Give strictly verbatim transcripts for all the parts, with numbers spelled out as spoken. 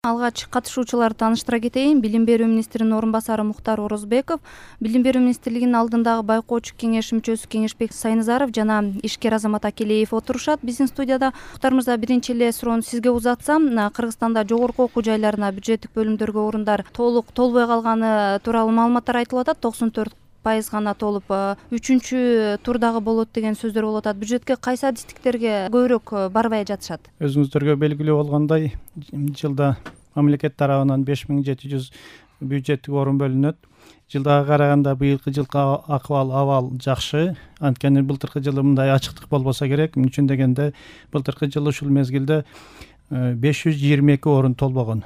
Алгач катышуучуларды тааныштыра кетейин. Билим берүү министринин орун басары Мухтар Орозбеков, Билим берүү министрлигинин алдындагы байкоочу кеңеш мүчөсү Кеңешбек Сайназаров жана ишкер Азамат Акелеев отурушат биздин студияда. Мухтар мырза, биринчи эле суроону сизге узатсам, Кыргызстанда жогорку окуу жайларына бюджеттик бөлүмдөргө орундар толук толбой калганы тууралуу маалыматтар айтылып атат. токсон төрт пайыз гана толуп, үчүнчү турдагы болот деген сөздөр болуп атат. Бюджетке кайсы адистиктерге көбүрөөк барбай жатышат? Өзүңүздөргө белгилүү болгондой, жылда мамлекет тарабынан беш миң жети жүз бюджеттик орун бөлүнөт. Жылдага караганда быйылкы жылкы акыбал абал жакшы. Анткени былтыркы жылы мындай ачыктык болбосо керек. Мун үчүн дегенде былтыркы жылы ушул мезгилде беш жүз жыйырма эки орун толбогон.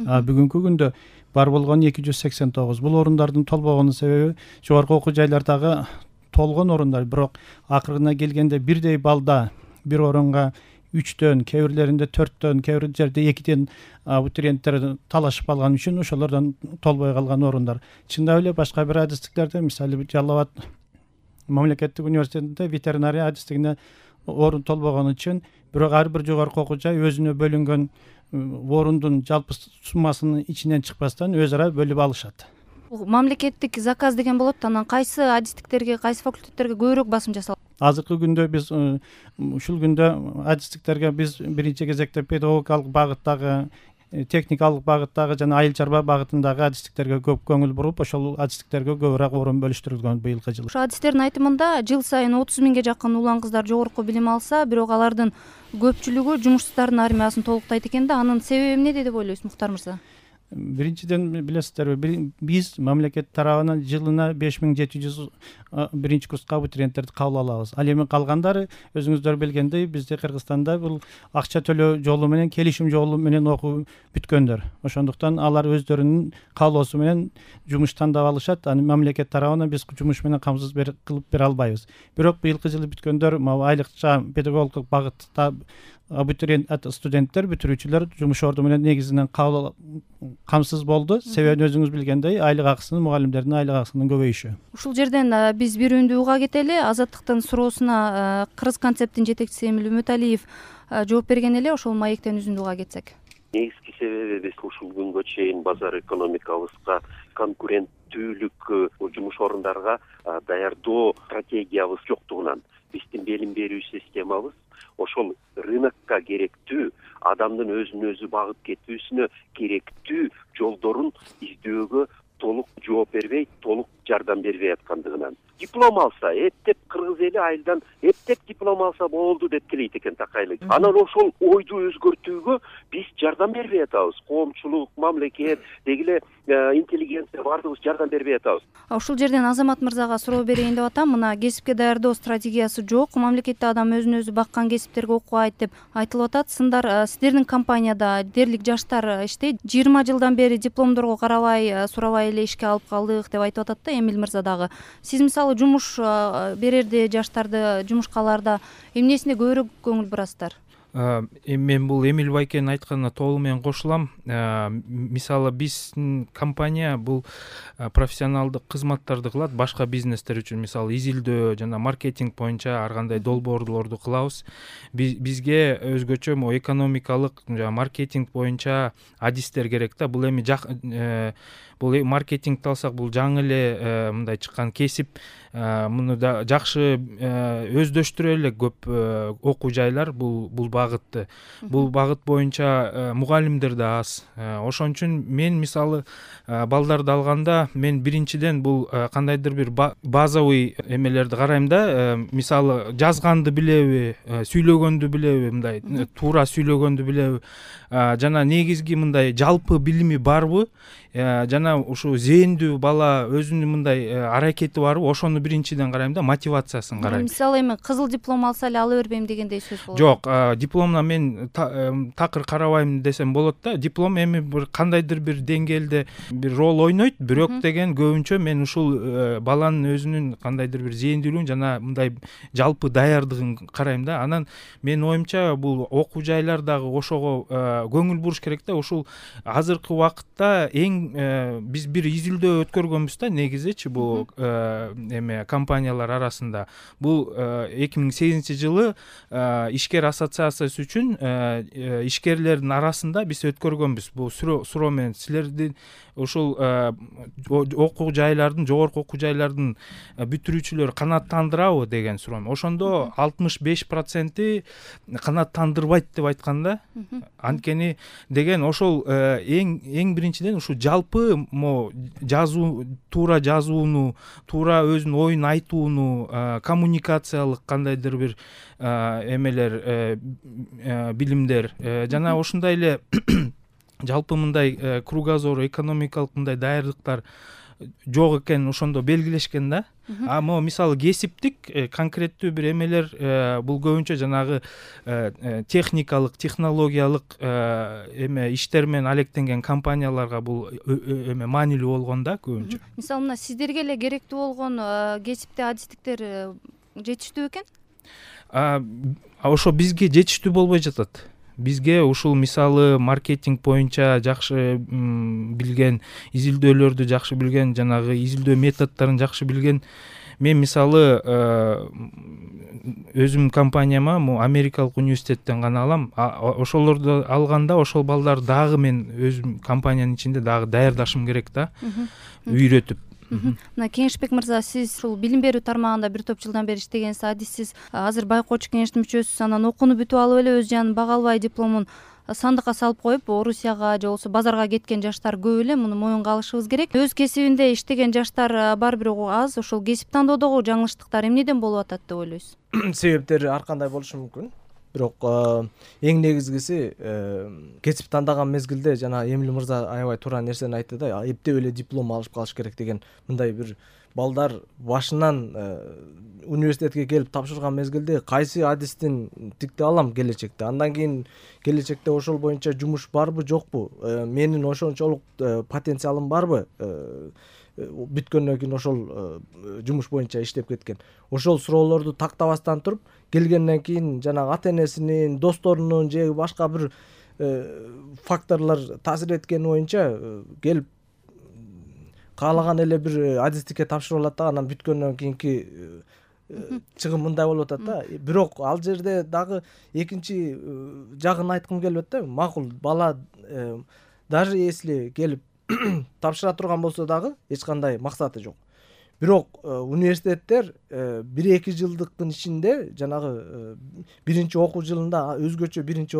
А бүгүнкү күндө бар болгон эки жүз сексен тогуз. Бул орундардын толбогонун себеби жогорку окуу жайлардагы толгон орундар, бирок акырына келгенде бирдей балда бир орунга үчтөн, кээ бирлеринде төрттөн, кээ бир жерде экиден абитуриенттер талашып калган үчүн ошолордон толбой калган орундар. Чындап эле башка бир адистиктерде, мисалы Жалал Абад мамлекеттик университетинде ветеринария адистигине орун толбогон үчүн, бирок ар бир жогорку окуу жай өзүнө бөлүнгөн орундун жалпы суммасынын ичинен чыкпастан өз ара бөлүп алышат. Мамлекеттик заказ деген болот, анан кайсы адистиктерге, кайсы факультеттерге көбүрөөк басым жасалат? Азыркы күндө биз ушул күндө адистиктерге биз биринчи кезекте педагогикалык багыттагы, техникалык багыттагы жана айыл чарба багытындагы адистиктерге көп көңүл буруп, ошол адистиктерге көбүрөөк орун бөлүштүрүлгөн быйылкы жылы. Ошо адистердин айтымында жыл сайын отуз миңге жакын улан кыздар жогорку билим алса, бирок алардын көпчүлүгү жумушсуздардын армиясын толуктайт экен да. Анын себеби эмнеде деп ойлойсуз, Мухтар мырза? Биринчиден билесиздерби, биз мамлекет тарабынан жылына беш миң жети жүз биринчи курска абитуриенттерди кабыл алабыз. Ал эми калгандары өзүңүздөр билгендей, бизде Кыргызстанда бул акча төлөө жолу менен, келишим жолу менен окуу бүткөндөр. Ошондуктан алар өздөрүнүн каалоосу менен жумуш тандап алышат. Аны мамлекет тарабынан биз жумуш менен камсыз кылып бере албайбыз. Бирок быйылкы жылы бүткөндөр айлыкча педагогикалык багытта абитуриент студенттер, бүтүрүүчүлөр жумуш орду менен негизинен камсыз болду. Себебин өзүңүз билгендей, айлык акысынын, мугалимдердин айлык акысынын көбөйүшү. Ушул жерден биз бир үндү уга кетели. Азаттыктын суроосуна Кыргыз концепттин жетекчиси Эмил Үмүталиев жооп берген эле. Ошол маектен үзүндү уга кетсек. Негизги себеби биз ушул күнгө чейин базар экономикабызга, конкуренттүүлүк жумуш орундарга даярдоо стратегиябыз жоктугунан, биздин билим берүү системабыз ошол рынокко керектүү, адамдын өзүн өзү багып кетүүсүнө керектүү жолдорун издөөгө толук жооп бербей, толук жардам бербей аткандыгынан. Диплом алса, эптеп кыргыз эли айылдан эптеп диплом алса болду деп келейт экен такайлы. Анан ошол ойду өзгөртүүгө биз жардам бербей атабыз. Коомчулук, мамлекет, деги эле интеллигенция баардыгыбыз жардам бербей атабыз. Ушул жерден Азамат мырзага суроо берейин деп атам. Мына кесипке даярдоо стратегиясы жок. Мамлекетте адам өзүн өзү баккан кесиптерге окубайт деп айтылып атат. Сындар сиздердин компанияда дээрлик жаштар иштейт. жыйырма жылдан бери дипломдорго карабай, сурабай эле ишке алып калдык деп айтып атат да Эмил мырза дагы. Сиз мисалы жумуш берерде жаштарды жумушка аларда эмнесине көбүрөөк көңүл бурасыздар? Мен бул Эмил байкенин айтканына толук менен кошулам. Мисалы биздин компания бул профессионалдык кызматтарды кылат башка бизнестер үчүн. Мисалы изилдөө жана маркетинг боюнча ар кандай долбоорлорду кылабыз. Бизге өзгөчө экономикалык жана маркетинг боюнча адистер керек да. Бул эми бул маркетингди алсак, бул жаңы эле мындай чыккан кесип. Муну да жакшы өздөштүрө элек көп окуу жайлар бул бул багытты. Бул багыт боюнча мугалимдер да аз. Ошон үчүн мен мисалы балдарды алганда, мен биринчиден бул кандайдыр бир базовый эмелерди карайм да. Мисалы жазганды билеби, сүйлөгөндү билеби, мындай туура сүйлөгөндү билеби, жана негизги мындай жалпы билими барбы, жана ушу зээндүү бала өзүнүн мындай аракети барбы, ошону биринчиден карайм да, мотивациясын карайм. Мисалы эми кызыл диплом алса эле ала бербейм дегендей сөз болот. Жок, дипломдон мен такыр карабайм десем болот да. Диплом эми бир кандайдыр бир деңгээлде бир роль ойнойт, бирок деген көбүнчө мен ушул баланын өзүнүн кандайдыр бир зээндүүлүгүн жана мындай жалпы даярдыгын карайм да. Анан менин оюмча бул окуу жайлардагы ошого көңүл буруш керек да. Ушул азыркы убакытта эң биз бир изилдөө өткөргөнбүз да, негизичи бул компаниялар арасында. Бул эки миң сегизинчи жылы ишкер ассоциация акциясы үчүн ишкерлердин арасында биз өткөргөнбүз бул суроо менен. Силердин ушул окуу жайлардын, жогорку окуу жайлардын бүтүрүүчүлөрү канааттандырабы деген суроо. Ошондо алтымыш беш проценти канааттандырбайт деп айткан да. Анткени деген ошол эң эң биринчиден ушул жалпы могу жазуу, туура жазууну, туура өзүнүн оюн айтууну, коммуникациялык кандайдыр бир эмелер, билимдер жана ошондой эле жалпы мындай кругозор, экономикалык мындай даярдыктар жок экенин ошондо белгилешкен да. А могу мисалы кесиптик конкреттүү бир эмелер бул көбүнчө жанагы техникалык, технологиялык эме иштер менен алектенген компанияларга бул эме маанилүү болгон да көбүнчө. Мисалы мына сиздерге эле керектүү болгон кесипти адистиктер жетиштүү экен? Ошо бизге жетиштүү болбой жатат. Бизге ушул мисалы маркетинг боюнча жакшы билген, изилдөөлөрдү жакшы билген, жанагы изилдөө методдорун жакшы билген. Мен мисалы өзүм компанияма могу америкалык университеттен гана алам. Ошолорду алганда ошол балдар дагы мен өзүм компаниянын ичинде дагы даярдашым керек да. Үйрөтүп. Мына Кеңешбек мырза, сиз ушул билим берүү тармагында бир топ жылдан бери иштегенсиз, адиссиз. Азыр байкоочу кеңештин мүчөсүсүз. Анан окууну бүтүп алып эле өз жанын бага албай дипломун сандыкка салып коюп, Орусияга же болбосо базарга кеткен жаштар көп эле. Муну моюнга алышыбыз керек. Өз кесибинде иштеген жаштар бар бир аз. Ошол кесип тандоодогу жаңылыштыктар эмнеден болуп атат деп ойлойсуз? Себептери ар кандай болушу мүмкүн. Бирок эң негизгиси кесип тандаган мезгилде жана Эмиль мырза аябай туура нерсени айтты да, эптеп эле диплом алып калыш керек деген. Мындай бир балдар башынан университетке келип тапшырган мезгилде кайсы адистин тикти алам келечекте, андан кийин келечекте ошол боюнча жумуш барбы жокпу, менин ошончолук потенциалым барбы, бүткөндөн кийин ошол жумуш боюнча иштеп кеткен. Ошол суроолорду тактабастан туруп, келгенден кийин жанагы ата энесинин, досторунун же башка бир факторлор таасир эткени боюнча келип каалаган эле бир адистикке тапшырып алат да, анан бүткөндөн кийинки чыгым мындай болуп атат да. Бирок ал жерде дагы экинчи жагын айткым келип атат да. Макул, бала даже если келип тапшыра турган болсо дагы эч кандай максаты жок. Бирок университеттер бир эки жылдыктын ичинде жанагы биринчи окуу жылында, өзгөчө биринчи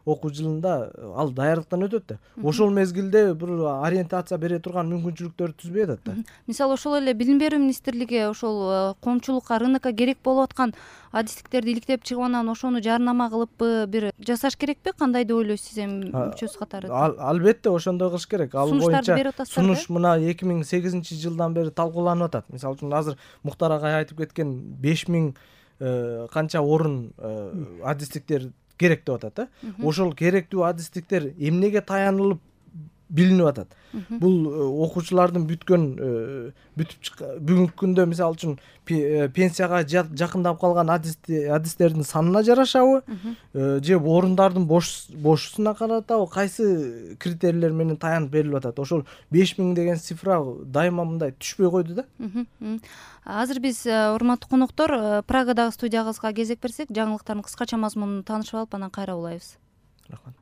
окуу жылында ал даярдыктан өтөт да. Ошол мезгилде бир ориентация бере турган мүмкүнчүлүктөрдү түзбөй атат да. Мисалы ошол эле Билим берүү министрлиги ошол коомчулукка, рынокко керек болуп аткан адистиктерди иликтеп чыгып, анан ошону жарнама кылыппы, бир жасаш керекпи? Кандай деп ойлойсуз сиз эми мүчөсү катары? Албетте ошондой кылыш керек. Ал боюнча сунуш мына эки миң сегизинчи жылдан бери талкууланып атат. Мисалы үчүн азыр Муктар агай айтып кеткен беш миң канча орун адистиктер керек деп атат да. Ошол керектүү адистиктер эмнеге таянылып билинип атат? Бул окуучулардын бүткөн бүтүп бүгүнкү күндө мисалы үчүн пенсияга жакындап калган адистердин санына жарашабы, же орундардын бошусуна каратабы, кайсы критерийлер менен таянып берилип атат? Ошол беш миң деген цифра дайыма мындай түшпөй койду да. Азыр биз, урматтуу коноктор, Прагадагы студиябызга кезек берсек, жаңылыктардын кыскача мазмунун таанышып алып, анан кайра улайбыз. Рахмат.